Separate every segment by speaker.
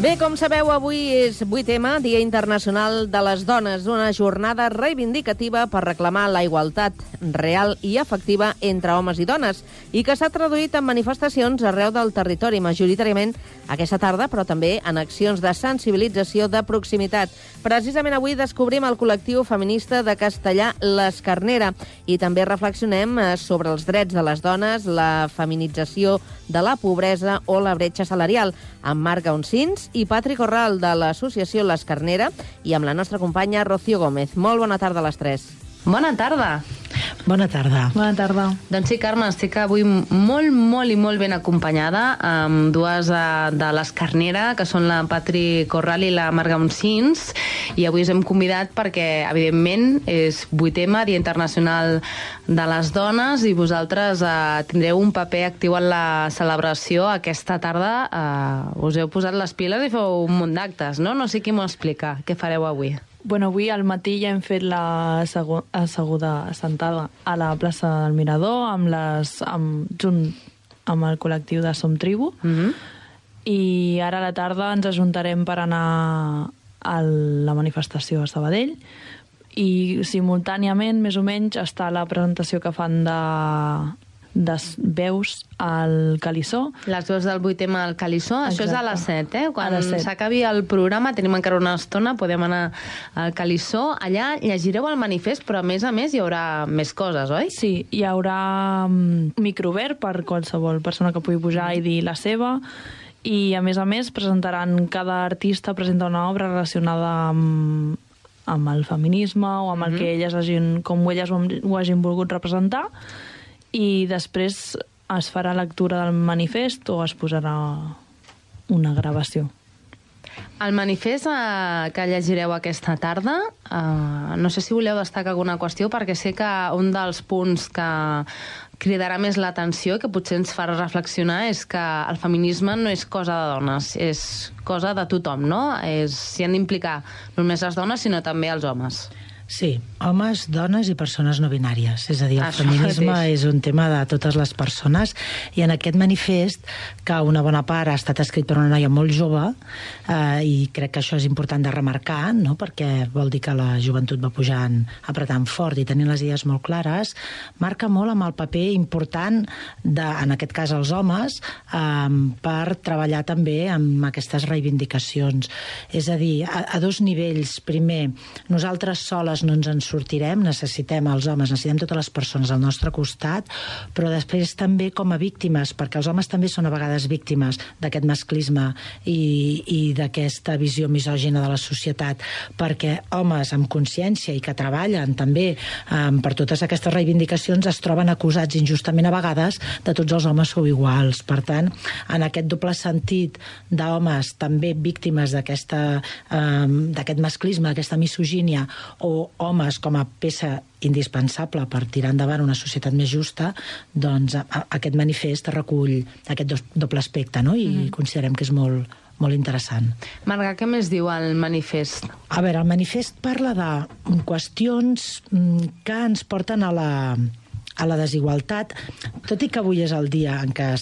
Speaker 1: Bé, com sabeu, avui és 8M, Dia Internacional de les Dones, una jornada reivindicativa per reclamar la igualtat real i efectiva entre homes i dones, i que s'ha traduït en manifestacions arreu del territori, majoritàriament aquesta tarda, però també en accions de sensibilització de proximitat. Precisament avui descobrim el col·lectiu feminista de Castellar, l'Escarnera, i també reflexionem sobre els drets de les dones, la feminització de la pobresa o la bretxa salarial, amb Marc Gaunsins i Patri Corral, de l'associació l'Escarnera, i amb la nostra companya Rocío Gómez. Molt bona tarda a les 3.
Speaker 2: Bona tarda.
Speaker 3: Bona tarda.
Speaker 2: Bona tarda. Doncs sí, Carme, estic avui molt ben acompanyada amb dues de l'Escarnera, que són la Patri Corral i la Marc Gaunsins, i avui us hem convidat perquè, evidentment, és 8M, Dia Internacional de les Dones, i vosaltres tindreu un paper actiu en la celebració. Aquesta tarda us heu posat les piles i feu un munt d'actes, no? No sé qui m'ho explica. Què fareu avui?
Speaker 4: Bueno, avui al matí ja hem fet la assentada a la plaça del Mirador junt amb el col·lectiu de Som Tribu, i ara a la tarda ens ajuntarem per anar a la manifestació a Sabadell, i simultàniament, més o menys, està la presentació que fan de veus al Calissó.
Speaker 2: Les veus del 8M al Calissó. Això és a les 7, eh? Quan
Speaker 4: A les 7.
Speaker 2: s'acabi el programa, tenim encara una estona, podem anar al Calissó. Allà llegireu el manifest, però a més hi haurà més coses, oi?
Speaker 4: Sí, hi haurà microobert per qualsevol persona que pugui pujar i dir la seva, i a més presentaran, cada artista presenta una obra relacionada amb el feminisme o amb el que elles ho hagin volgut representar, i després es farà lectura del manifest o es posarà una gravació.
Speaker 2: El manifest que llegireu aquesta tarda, no sé si voleu destacar alguna qüestió, perquè sé que un dels punts que cridarà més l'atenció, que potser ens farà reflexionar, és que el feminisme no és cosa de dones, és cosa de tothom, no? S'hi han d'implicar no només les dones, sinó també els homes.
Speaker 3: Sí, homes, dones i persones no binàries. És a dir, el feminisme és un tema de totes les persones, i en aquest manifest, que una bona part ha estat escrit per una noia molt jove, i crec que això és important de remarcar, no? Perquè vol dir que la joventut va pujant, apretant fort i tenint les idees molt clares, marca molt amb el paper important en aquest cas els homes, per treballar també amb aquestes reivindicacions. És a dir, a dos nivells. Primer, nosaltres soles no ens en sortirem, necessitem els homes, necessitem totes les persones al nostre costat, però després també com a víctimes, perquè els homes també són a vegades víctimes d'aquest masclisme i d'aquesta visió misògina de la societat, perquè homes amb consciència i que treballen també per totes aquestes reivindicacions es troben acusats injustament a vegades de tots els homes sou iguals. Per tant, en aquest doble sentit d'homes també víctimes d'aquest masclisme, d'aquesta misogínia, o homes com a peça indispensable per tirar endavant una societat més justa, doncs aquest manifest recull aquest doble aspecte, no? I considerem que és molt interessant.
Speaker 2: Marga, què més diu el manifest?
Speaker 3: A veure, el manifest parla de qüestions que ens porten a la desigualtat, tot i que avui és el dia en què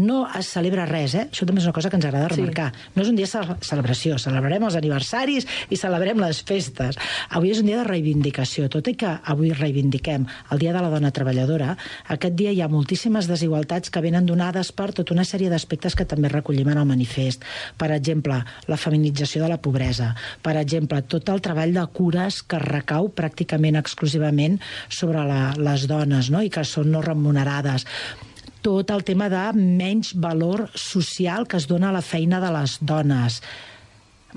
Speaker 3: no es celebra res, Això també és una cosa que ens agrada remarcar. No és un dia de celebració, celebrarem els aniversaris i celebrem les festes. Avui és un dia de reivindicació. Tot i que avui reivindiquem el Dia de la Dona Treballadora, aquest dia hi ha moltíssimes desigualtats que venen donades per tota una sèrie d'aspectes que també recollim en el manifest. Per exemple, la feminització de la pobresa. Per exemple, tot el treball de cures que recau pràcticament exclusivament sobre les dones, no? I que són no remunerades. Tot el tema de menys valor social que es dona a la feina de les dones.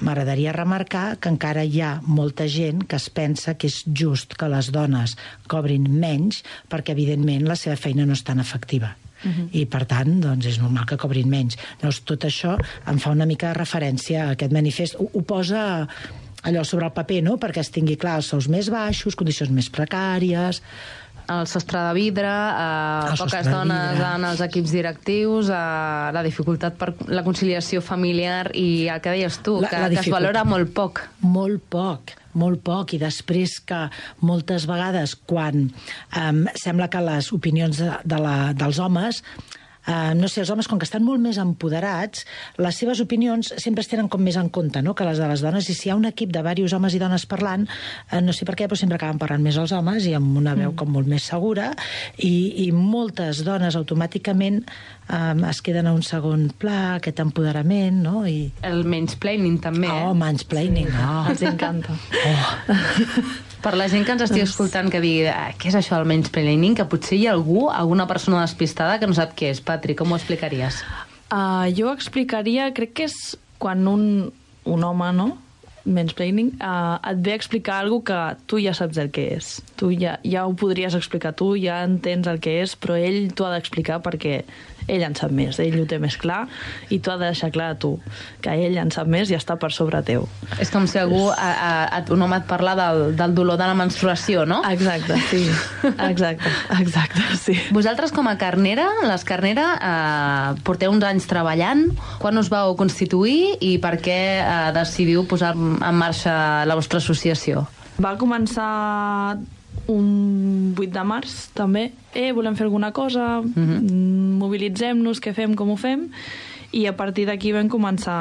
Speaker 3: M'agradaria remarcar que encara hi ha molta gent que es pensa que és just que les dones cobrin menys perquè, evidentment, la seva feina no és tan efectiva. I, per tant, doncs, és normal que cobrin menys. Llavors, tot això em fa una mica de referència a aquest manifest. Ho posa allò sobre el paper, no?, perquè es tingui clar els sous més baixos, condicions més precàries,
Speaker 2: el sostre de vidre, poques dones en els equips directius, la dificultat per la conciliació familiar i el que deies tu, que es valora molt poc.
Speaker 3: Molt poc, i després que moltes vegades quan sembla que les opinions dels homes no sé, els homes, com que estan molt més empoderats, les seves opinions sempre es tenen com més en compte, no?, que les de les dones, i si hi ha un equip de diversos homes i dones parlant, no sé per què, però sempre acaben parlant més els homes i amb una veu com molt més segura, i moltes dones automàticament es queden a un segon pla, aquest empoderament, no? I...
Speaker 2: El mansplaining també,
Speaker 3: mansplaining,
Speaker 4: Els encanta.
Speaker 2: Per la gent que ens estigui escoltant que digui què és això del mansplaining, que potser hi ha alguna persona despistada que no sap què és. Patri, com ho explicaries?
Speaker 4: Jo explicaria, crec que és quan un home, no?, mansplaining, et ve a explicar alguna que tu ja saps el que és. Tu ja ho podries explicar tu, ja entens el que és, però ell t'ho ha d'explicar perquè ell en sap més, ell ho té més clar, i tu has de deixar clar a tu que ell en sap més i està per sobre teu.
Speaker 2: És com si algú, un home et parla del dolor de la menstruació, no?
Speaker 4: Exacte, sí. Exacte, sí.
Speaker 2: Vosaltres com a Carnera, les Carnera, porteu uns anys treballant. Quan us vau constituir i per què decidiu posar en marxa la vostra associació?
Speaker 4: Va començar un 8 de març, també. Volem fer alguna cosa, mobilitzem-nos, què fem, com ho fem, i a partir d'aquí vam començar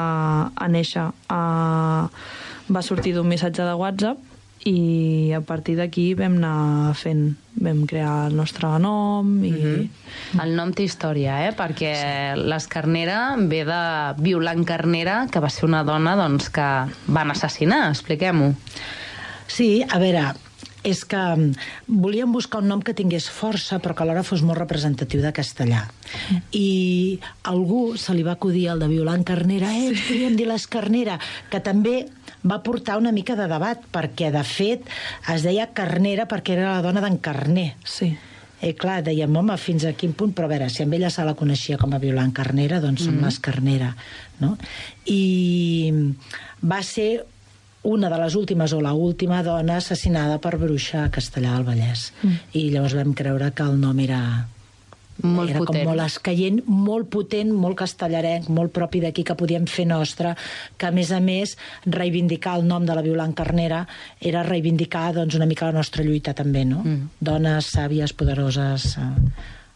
Speaker 4: a néixer. Va sortir d'un missatge de WhatsApp i a partir d'aquí vam anar fent. Vam crear el nostre nom i...
Speaker 2: El nom té història, perquè l'Escarnera ve de Violant Carnera, que va ser una dona doncs, que van assassinar. Expliquem-ho.
Speaker 3: Sí, a veure... és que volíem buscar un nom que tingués força però que alhora fos molt representatiu de castellà. I a algú se li va acudir el de Violant Carnera, ens podríem dir l'Escarnera, que també va portar una mica de debat, perquè de fet es deia Carnera perquè era la dona d'en Carner.
Speaker 4: Sí.
Speaker 3: Clar, dèiem, home, fins a quin punt, però a veure, si amb ella se la coneixia com a Violant Carnera, doncs som l'Escarnera, no? I va ser una de les últimes o l'última dona assassinada per bruixa a Castellar del Vallès. I llavors vam creure que el nom era
Speaker 2: molt
Speaker 3: com
Speaker 2: potent.
Speaker 3: molt escaient, molt potent, molt castellarenc, molt propi d'aquí, que podíem fer nostre, que a més reivindicar el nom de la Violant Carnera era reivindicar doncs, una mica la nostra lluita també, no? Dones sàvies, poderoses,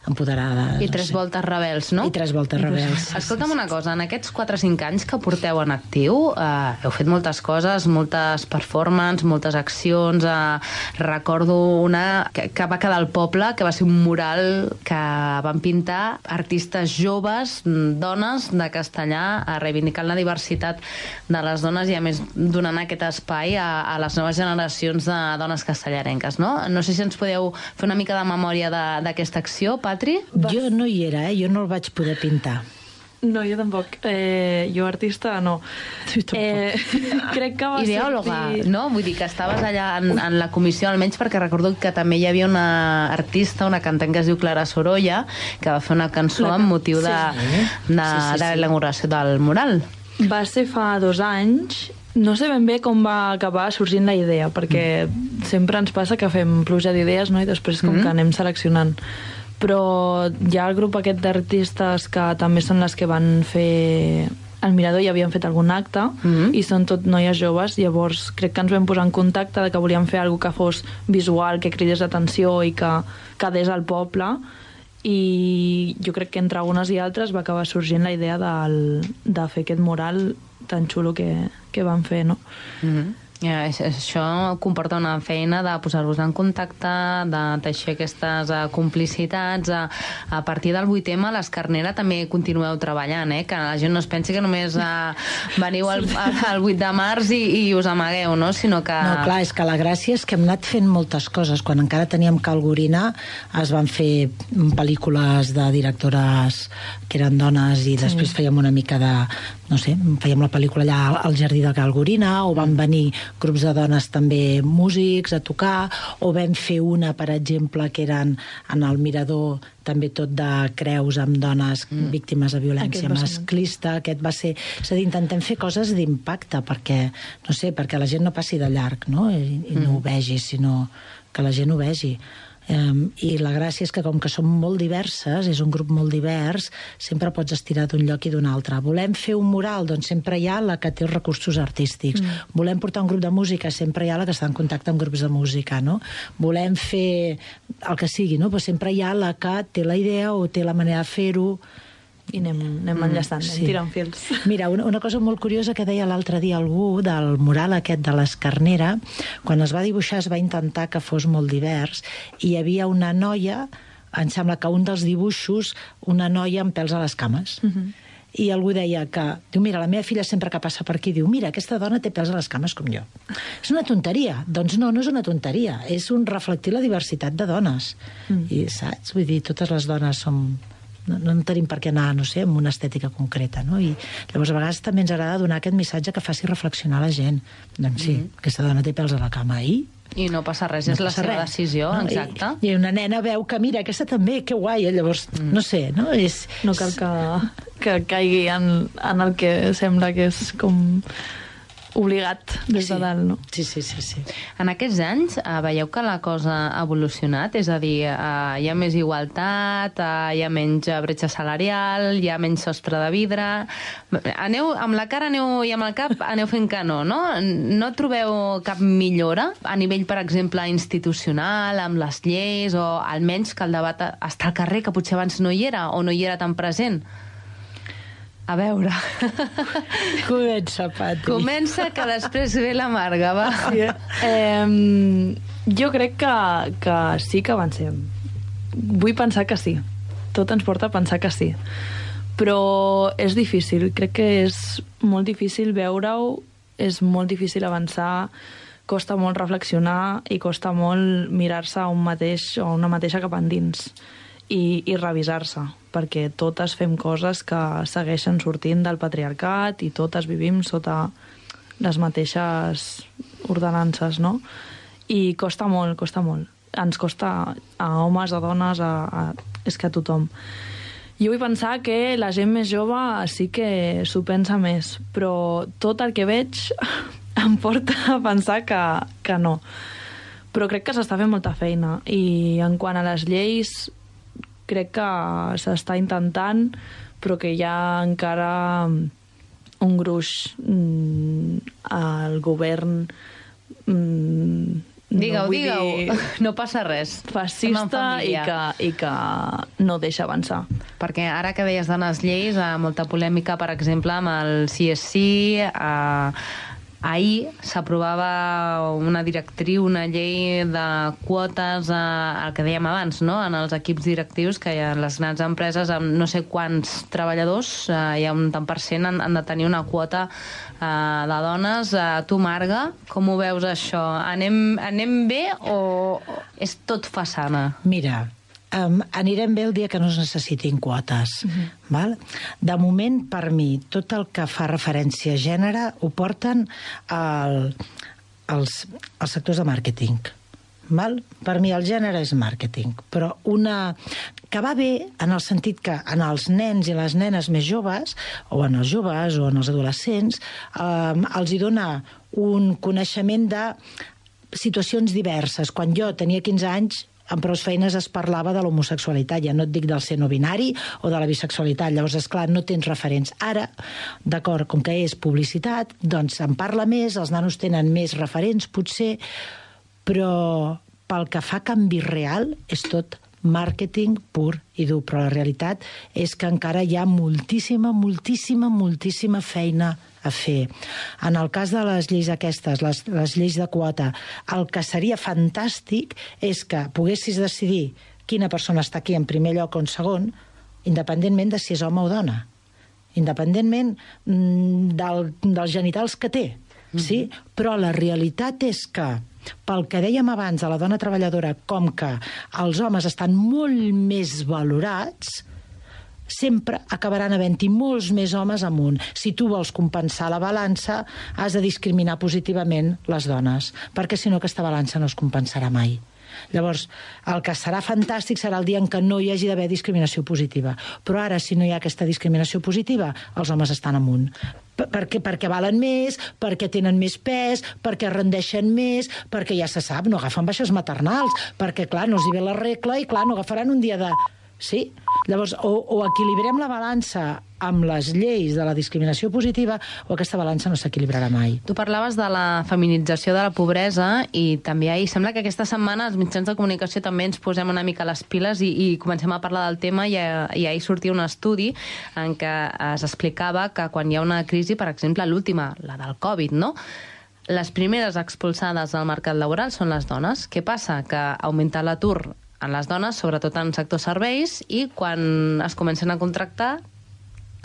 Speaker 3: empoderades.
Speaker 2: I tres voltes rebels, no?
Speaker 3: I tres voltes rebels.
Speaker 2: Escolta'm una cosa, en aquests 4 o 5 anys que porteu en actiu, heu fet moltes coses, moltes performances, moltes accions. Recordo una que va quedar al poble, que va ser un mural que van pintar artistes joves, dones de Castellar, reivindicant la diversitat de les dones i a més donant aquest espai a les noves generacions de dones castellarenques, no? No sé si ens podeu fer una mica de memòria d'aquesta acció, Patri?
Speaker 3: Jo no hi era, jo no el vaig poder pintar.
Speaker 4: No, jo tampoc. Jo artista, no. Crec que va
Speaker 2: Ideòloga,
Speaker 4: sortir...
Speaker 2: no? Vull dir que estaves allà en la comissió, almenys perquè recordo que també hi havia una artista, una cantant que es diu Clara Sorolla, que va fer una cançó amb motiu de la inauguració del mural.
Speaker 4: Va ser fa 2 anys. No sé ben bé com va acabar sorgint la idea, perquè sempre ens passa que fem pluja d'idees, no? I després com que anem seleccionant. Però hi ha el grup aquest d'artistes que també són les que van fer al Mirador, i havien fet algun acte, i són tot noies joves. Llavors crec que ens vam posar en contacte de que volíem fer alguna que fos visual, que cridés l'atenció i que quedés al poble, i jo crec que entre unes i altres va acabar sorgint la idea de fer aquest mural tan xulo que van fer, no?
Speaker 2: Això comporta una feina de posar-vos en contacte, de teixir aquestes complicitats. A partir del 8M, l'Escarnera també continueu treballant, que la gent no es pensi que només veniu el 8 de març i us amagueu, no? Sinó que...
Speaker 3: No, clar, és que la gràcia és que hem anat fent moltes coses. Quan encara teníem Calgorina es van fer pel·lícules de directores que eren dones i després fèiem una mica de... no sé, fèiem la pel·lícula allà al jardí de Calgorina, o van venir grups de dones també músics a tocar, o vam fer una, per exemple, que eren en el Mirador, també tot de creus amb dones víctimes de violència masclista. Aquest va ser... És a dir, intentem fer coses d'impacte perquè, no sé, perquè la gent no passi de llarg, no? I no ho vegi, sinó que la gent ho vegi. I la gràcia és que com que som molt diverses, és un grup molt divers, sempre pots estirar d'un lloc i d'un altre. Volem fer un mural? Doncs sempre hi ha la que té els recursos artístics. Volem portar un grup de música? Sempre hi ha la que està en contacte amb grups de música, no? Volem fer el que sigui, no? Però sempre hi ha la que té la idea o té la manera de fer-ho.
Speaker 4: I anem enllaçant, anem tirant fils.
Speaker 3: Mira, una cosa molt curiosa que deia l'altre dia algú del mural aquest de l'Escarnera, quan es va dibuixar es va intentar que fos molt divers, i hi havia una noia, em sembla que un dels dibuixos, una noia amb pèls a les cames. I algú deia que, diu, mira, la meva filla sempre que passa per aquí, diu, mira, aquesta dona té pèls a les cames com jo. És una tonteria. Doncs no és una tonteria. És un reflectir la diversitat de dones. I saps? Vull dir, totes les dones som... No tenim per què anar, no sé, amb una estètica concreta, no? I llavors a vegades també ens agrada donar aquest missatge que faci reflexionar la gent. Doncs sí, aquesta dona té pèls a la cama i
Speaker 2: no passa res, és la seva decisió, exacte.
Speaker 3: I una nena veu que, mira, aquesta també, que guai, llavors, no sé, no?
Speaker 4: No cal que caigui en el que sembla que és com obligat des de dalt, no?
Speaker 3: Sí.
Speaker 2: En aquests anys veieu que la cosa ha evolucionat? És a dir, hi ha més igualtat, hi ha menys bretxa salarial, hi ha menys sostre de vidre... Aneu amb la cara i amb el cap aneu fent que no? No trobeu cap millora a nivell, per exemple, institucional, amb les lleis, o almenys que el debat està al carrer, que potser abans no hi era, o no hi era tan present? A veure...
Speaker 3: Comença, Patri.
Speaker 2: Comença, que després ve l'amarga, va.
Speaker 4: Jo crec que sí que avancem. Vull pensar que sí. Tot ens porta a pensar que sí. Però és difícil. Crec que és molt difícil veure-ho, és molt difícil avançar, costa molt reflexionar i costa molt mirar-se a un mateix o una mateixa cap endins i revisar-se, perquè totes fem coses que segueixen sortint del patriarcat i totes vivim sota les mateixes ordenances, no? I costa molt, costa molt. Ens costa a homes, a dones, és que a tothom. Jo vull pensar que la gent més jove sí que s'ho pensa més, però tot el que veig em porta a pensar que no. Però crec que s'està fent molta feina, i en quant a les lleis crec que s'està intentant, però que hi ha encara un gruix al govern
Speaker 2: Digueu, no passa res.
Speaker 4: Fascista i que no deixa avançar.
Speaker 2: Perquè ara que deies de les lleis, molta polèmica, per exemple, amb el CSC, ahir s'aprovava una directriu, una llei de quotes, el que dèiem abans, no? En els equips directius, que hi ha les grans empreses amb no sé quants treballadors, hi ha un tant per cent, han de tenir una quota de dones. Tu, Marga, com ho veus això? Anem bé o és tot façana?
Speaker 3: Mira, anirem bé el dia que no es necessitin quotes. Val? De moment, per mi, tot el que fa referència a gènere ho porten els sectors de màrqueting. Val? Per mi el gènere és màrqueting, però que va bé en el sentit que en els nens i les nenes més joves, o en els joves o en els adolescents, els hi dona un coneixement de situacions diverses. Quan jo tenia 15 anys, en prou feines es parlava de l'homosexualitat, ja no et dic del ser no binari o de la bisexualitat, llavors, esclar, no tens referents. Ara, d'acord, com que és publicitat, doncs se'n parla més, els nanos tenen més referents, potser, però pel que fa canvi real és tot màrqueting pur i dur, però la realitat és que encara hi ha moltíssima feina a fer. En el cas de les lleis aquestes, les lleis de quota, el que seria fantàstic és que poguessis decidir quina persona està aquí en primer lloc o en segon, independentment de si és home o dona, independentment dels genitals que té. Sí? Però la realitat és que, pel que dèiem abans de la dona treballadora, com que els homes estan molt més valorats, sempre acabaran havent-hi molts més homes amunt. Si tu vols compensar la balança, has de discriminar positivament les dones, perquè si no aquesta balança no es compensarà mai. Llavors, el que serà fantàstic serà el dia en què no hi hagi d'haver discriminació positiva. Però ara, si no hi ha aquesta discriminació positiva, els homes estan amunt. Perquè valen més, perquè tenen més pes, perquè rendeixen més, perquè ja se sap, no agafen baixes maternals, perquè, clar, no els hi ve la regla i, clar, no agafaran un dia de... Sí? Llavors, o equilibrem la balança amb les lleis de la discriminació positiva o aquesta balança no s'equilibrarà mai.
Speaker 2: Tu parlaves de la feminització de la pobresa i també sembla que aquesta setmana els mitjans de comunicació també ens posem una mica les piles i comencem a parlar del tema i ahir sortia un estudi en què es explicava que quan hi ha una crisi, per exemple, l'última, la del Covid, no?, les primeres expulsades del mercat laboral són les dones. Què passa? Que augmenta l'atur en les dones, sobretot en sector serveis, i quan es comencen a contractar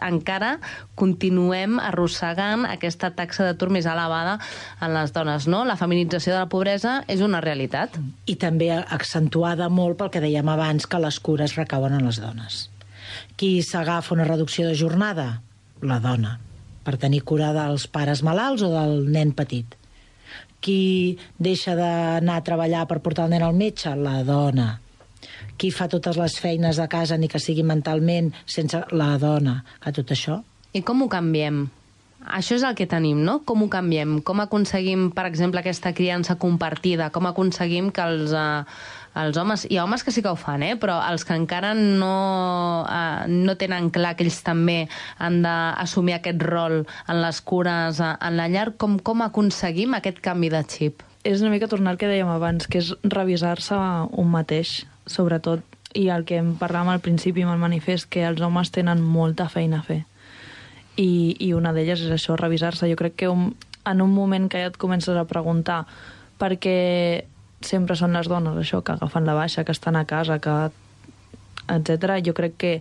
Speaker 2: encara continuem arrossegant aquesta taxa d'atur més elevada en les dones, no? La feminització de la pobresa és una realitat.
Speaker 3: I també accentuada molt pel que dèiem abans, que les cures recauen en les dones. Qui s'agafa una reducció de jornada? La dona, per tenir cura dels pares malalts o del nen petit. Qui deixa d'anar a treballar per portar el nen al metge? La dona. Qui fa totes les feines de casa, ni que sigui mentalment, sense la dona, que tot això...
Speaker 2: I com ho canviem? Això és el que tenim, no? Com ho canviem? Com aconseguim, per exemple, aquesta criança compartida? Com aconseguim que els homes... Hi ha homes que sí que ho fan, però els que encara no tenen clar que ells també han d'assumir aquest rol en les cures, en la llar, com aconseguim aquest canvi de xip?
Speaker 4: És una mica tornar al que dèiem abans, que és revisar-se un mateix, sobretot, i el que em parlàvem al principi amb el manifest, que els homes tenen molta feina a fer. I una d'elles és això, revisar-se. Jo crec que en un moment que ja et comences a preguntar per què sempre són les dones, això, que agafen la baixa, que estan a casa, etc. Jo crec que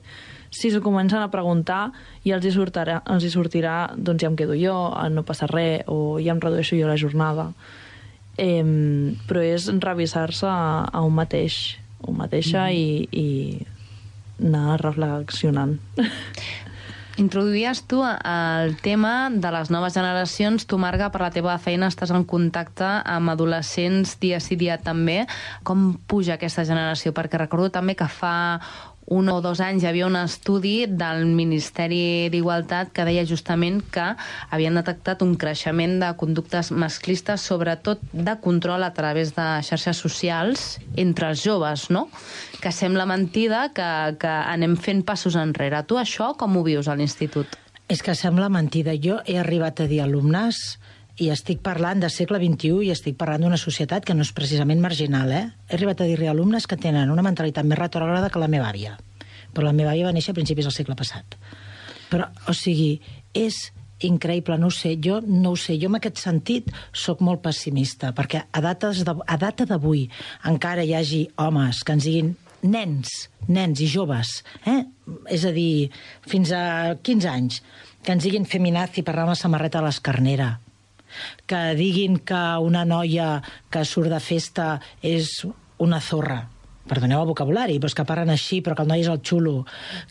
Speaker 4: si s'ho comencen a preguntar ja els hi sortirà, doncs ja em quedo jo, no passa res, o ja em redueixo jo la jornada. Però és revisar-se a un mateixa i anar reflexionant.
Speaker 2: Introduïes tu el tema de les noves generacions. Tu, Marga, per la teva feina estàs en contacte amb adolescents dia sí dia també. Com puja aquesta generació? Perquè recordo també que fa 1 o 2 anys hi havia un estudi del Ministeri d'Igualtat que deia justament que havien detectat un creixement de conductes masclistes, sobretot de control a través de xarxes socials entre els joves, no? Que sembla mentida que anem fent passos enrere. Tu això com ho vius a l'institut?
Speaker 3: És que sembla mentida. Jo he arribat a dir alumnes i estic parlant del segle XXI i estic parlant d'una societat que no és precisament marginal, He arribat a dir-li a alumnes que tenen una mentalitat més retrògrada que la meva àvia. Però la meva àvia va néixer a principis del segle passat. Però, o sigui, és increïble, no ho sé. Jo en aquest sentit sóc molt pessimista, perquè a data d'avui encara hi hagi homes que ens diguin nens i joves, és a dir, fins a 15 anys, que ens diguin feminazi per anar amb la samarreta a l'escarnera, que diguin que una noia que surt de festa és una zorra, perdoneu el vocabulari, però és que parlen així, però que el noi és el xulo,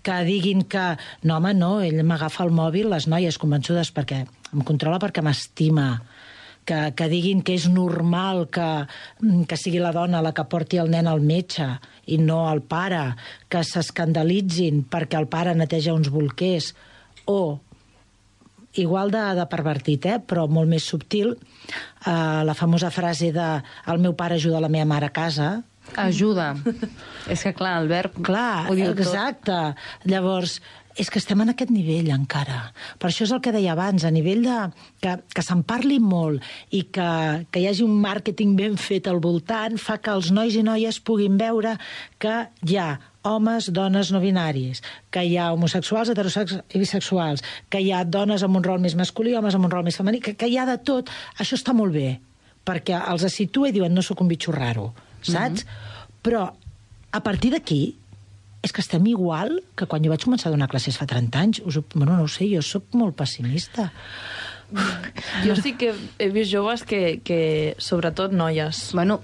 Speaker 3: que diguin que no, home, no, ell m'agafa el mòbil, les noies convençudes perquè em controla perquè m'estima, que diguin que és normal que sigui la dona la que porti el nen al metge i no el pare, que s'escandalitzin perquè el pare neteja uns bolquers, o igual de pervertit, però molt més subtil, la famosa frase de el meu pare ajuda la meva mare a casa.
Speaker 2: Ajuda. És que, clar, el verb ho diu tot.
Speaker 3: Exacte. Llavors, és que estem en aquest nivell encara. Per això és el que deia abans, a nivell de que se'n parli molt i que hi hagi un màrqueting ben fet al voltant, fa que els nois i noies puguin veure que hi ha homes, dones no binaris, que hi ha homosexuals, heterosexuals i bisexuals, que hi ha dones amb un rol més masculí, homes amb un rol més femení, que hi ha de tot. Això està molt bé, perquè els situa i diuen no sóc un bitxo raro, saps? Però a partir d'aquí és que estem igual que quan jo vaig començar a donar classes fa 30 anys. No ho sé, jo sóc molt pessimista.
Speaker 4: Jo sí que he vist joves que sobretot noies.
Speaker 2: Bueno,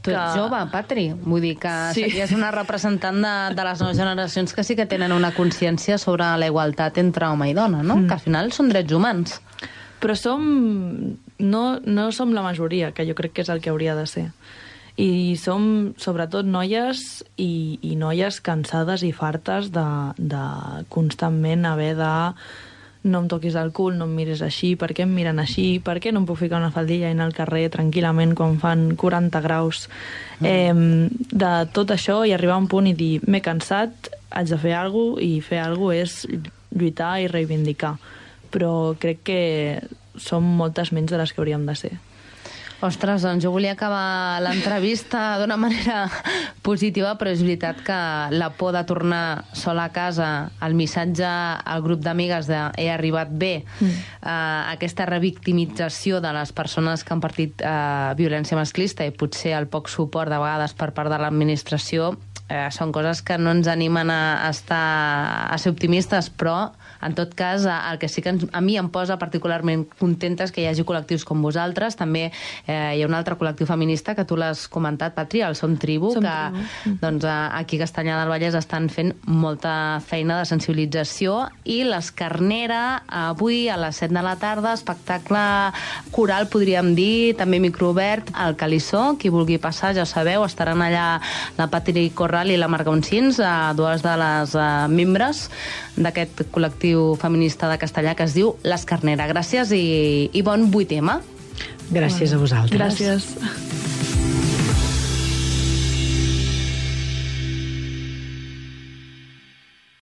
Speaker 2: tu ets jove, Patri. Vull dir que series una representant de les noves generacions que sí que tenen una consciència sobre la igualtat entre home i dona, no? Que al final són drets humans.
Speaker 4: Però no som la majoria, que jo crec que és el que hauria de ser. I som, sobretot, noies i noies cansades i fartes de constantment haver de no em toquis el cul, no em mires així, per què em miren així, per què no em puc ficar una faldilla i anar al carrer tranquil·lament quan fan 40 graus. De tot això i arribar a un punt i dir m'he cansat, haig de fer alguna cosa, i fer alguna cosa és lluitar i reivindicar. Però crec que som moltes menys de les que hauríem de ser.
Speaker 2: Ostres, doncs jo volia acabar l'entrevista d'una manera positiva, però és veritat que la por de tornar sola a casa, el missatge al grup d'amigues de he arribat bé, aquesta revictimització de les persones que han patit violència masclista i potser el poc suport de vegades per part de l'administració, són coses que no ens animen a ser optimistes, però en tot cas el que sí que a mi em posa particularment contenta és que hi hagi col·lectius com vosaltres. També hi ha un altre col·lectiu feminista que tu l'has comentat, Patri, el Som Tribu, que doncs, aquí a Castanyà del Vallès estan fent molta feina de sensibilització, i l'Escarnera avui a les 7 de la tarda, espectacle coral, podríem dir, també microobert, al Calissó. Qui vulgui passar, ja sabeu, estaran allà la Patri Corral i la Marga Uncins, dues de les membres d'aquest col·lectiu feminista de Castellà que es diu l'Escarnera. Gràcies i bon 8M.
Speaker 3: Gràcies a vosaltres.
Speaker 4: Gràcies.